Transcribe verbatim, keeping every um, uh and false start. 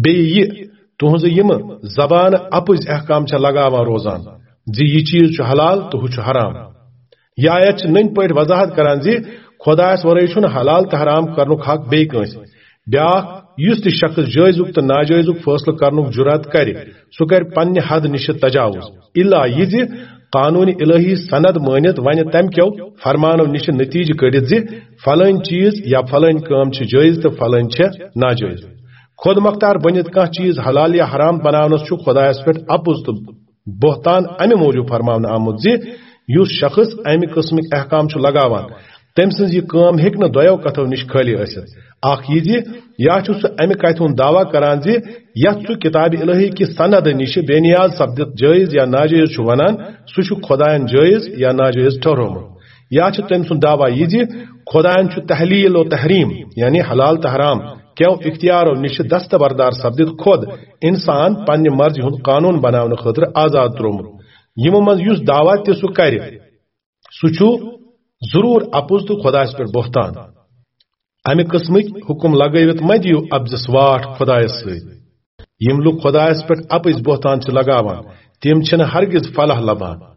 بیٚیہِ یہِ تُہنٛزٕ یِمہٕ زبانہٕ اپُز احکام چھےٚ لگاوان روزان زِ یہِ چیز چھُ حلال تہٕ ہُہ چھُ حرام۔ یہِ آیت چھِ نٔنۍ پٲٹھۍ وضاحت کران زِ خۄدایس ورٲے چھُنہٕ حلال تہٕ حرام کرنُک حق بیٚیہِ کٲنٛسہِ۔ بیٛاکھ، یُس تہِ شخص جٲیزُک تہٕ ناجٲیزُک فٲصلہٕ کرنُک جُرات کرِ، سُہ کرِ پننہِ حد نِش تجاوز، الا یہِ زِ قانون الہی سند مٲنِتھ ونہِ تمہِ کیو فرمانو نِش نتیجہٕ کٔڑِتھ زِ فلٲنۍ چیز یا فلٲنۍ کٲم چھِ جٲیز تہٕ فلٲنۍ چھےٚ ناجٲیز۔ خود مختار بٔنِتھ کانٛہہ چیز حلال یا حرام بناونس چھُ خۄدایس پٮ۪ٹھ اپُز تہٕ بہتان امہِ موٗجوٗب فرماونہٕ آمُت زِ یُس شخص امہِ قٕسمٕکۍ احکام چھُ لگاوان، تٔمۍ سٕنٛز یہِ کٲم ہیٚکہِ نہٕ دۄیو کتھو نِش خٲلی ٲسِتھ۔ اکھ یہِ زِ یا چھُ سُہ امہِ کتھِ ہُنٛد دعویٰ کران زِ یتھ سُہ کتابِ الہی کہِ سند نِش بے نیاز سپدِتھ جٲیز یا ناجٲیز چھُ ونان، سُہ چھُ خۄداین جٲیز یا ناجٲیز ٹھہرومُت۔ یا چھُ تٔمۍ سُنٛد دعویٰ یہِ زِ خۄداین چھُ تحلیل و تحریم، یعنی حلال تہٕ حرام، کیو اختیارو نِش دستبردار سپدِتھ خود انسان پننہِ مرضی ہُنٛد قانون بناونہٕ خٲطرٕ آزاد تروومُت۔ یِمو منٛز یُس دعویٰ تہِ سُہ کرِ، سُہ چھُ ضروٗر اپُز تہٕ خۄدایس پٮ۪ٹھ بہتان۔ امہِ قٕسمٕکۍ حُکم لگٲوِتھ مہ دِیِو اپزِس واٹھ خۄدایس سۭتۍ۔ یِم لُکھ خۄدایس پٮ۪ٹھ اپٕزۍ بہتان چھِ لگاوان، تِم چھِنہٕ ہرگز فلاح لبان۔